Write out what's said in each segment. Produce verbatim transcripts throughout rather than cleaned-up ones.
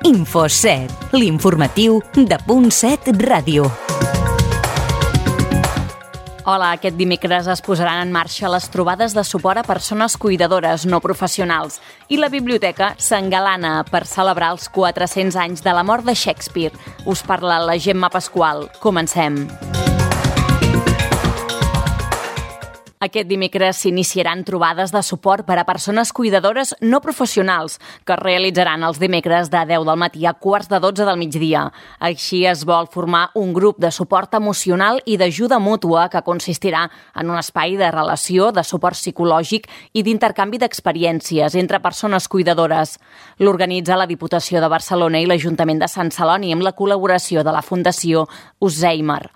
Info set, l'informatiu de Punt set Ràdio. Hola, aquest dimecres es posaran en marxa les trobades de suport a persones cuidadores no professionals i la biblioteca s'engalana per celebrar els quatre-cents anys de la mort de Shakespeare. Us parla la Gemma Pasqual. Comencem. Aquest dimecres s'iniciaran trobades de suport per a persones cuidadores no professionals que es realitzaran els dimecres de deu del matí a quarts de dotze del migdia. Així es vol formar un grup de suport emocional i d'ajuda mútua que consistirà en un espai de relació, de suport psicològic i d'intercanvi d'experiències entre persones cuidadores. L'organitza la Diputació de Barcelona i l'Ajuntament de Sant Celoni amb la col·laboració de la Fundació Alzheimer.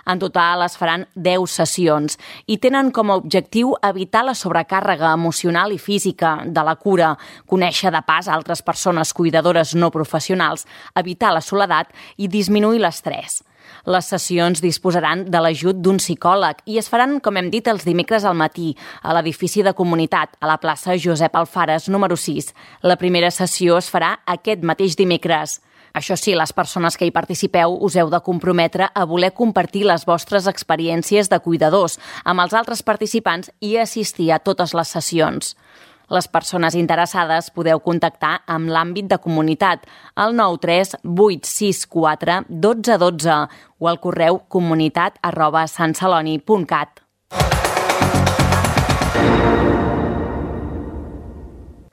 En total es faran deu sessions i tenen com a objectiu evitar la sobrecàrrega emocional i física de la cura, conèixer de pas altres persones cuidadores no professionals, evitar la soledat i disminuir l'estrès. Les sessions disposaran de l'ajut d'un psicòleg i es faran, com hem dit, els dimecres al matí, a l'edifici de comunitat, a la plaça Josep Alfares, número sis. La primera sessió es farà aquest mateix dimecres. Això sí, les persones que hi participeu us heu de comprometre a voler compartir les vostres experiències de cuidadors amb els altres participants i assistir a totes les sessions. Les persones interessades podeu contactar amb l'àmbit de comunitat al nou tres vuit sis quatre un dos un dos o al correu comunitat arroba santceloni punt cat.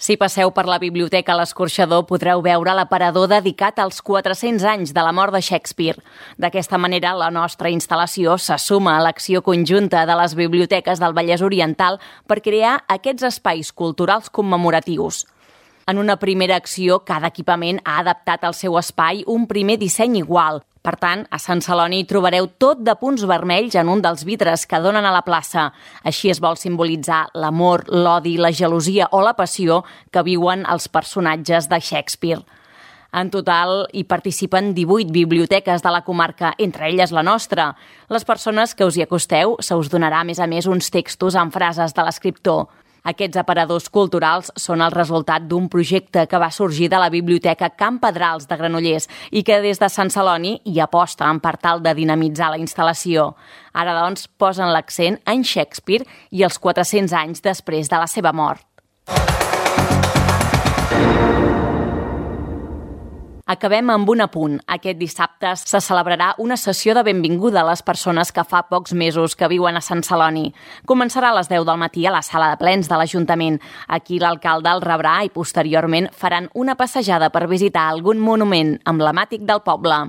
Si passeu per la biblioteca a l'Escorxador podreu veure l'aparador dedicat als quatre-cents anys de la mort de Shakespeare. D'aquesta manera, la nostra instal·lació se suma a l'acció conjunta de les biblioteques del Vallès Oriental per crear aquests espais culturals commemoratius. En una primera acció, cada equipament ha adaptat al seu espai un primer disseny igual. Per tant, a Sant Celoni hi trobareu tot de punts vermells en un dels vidres que donen a la plaça. Així es vol simbolitzar l'amor, l'odi, la gelosia o la passió que viuen els personatges de Shakespeare. En total, hi participen divuit biblioteques de la comarca, entre elles la nostra. Les persones que us hi acosteu se us donarà, a més a més, uns textos amb frases de l'escriptor. Aquests aparadors culturals són el resultat d'un projecte que va sorgir de la Biblioteca Can Pedrals de Granollers i que des de Sant Celoni hi aposten per tal de dinamitzar la instal·lació. Ara, doncs, posen l'accent en Shakespeare i els quatre-cents anys després de la seva mort. Acabem amb un apunt. Aquest dissabte se celebrarà una sessió de benvinguda a les persones que fa pocs mesos que viuen a Sant Celoni. Començarà a les deu del matí a la sala de plens de l'Ajuntament. Aquí l'alcalde el rebrà i posteriorment faran una passejada per visitar algun monument emblemàtic del poble.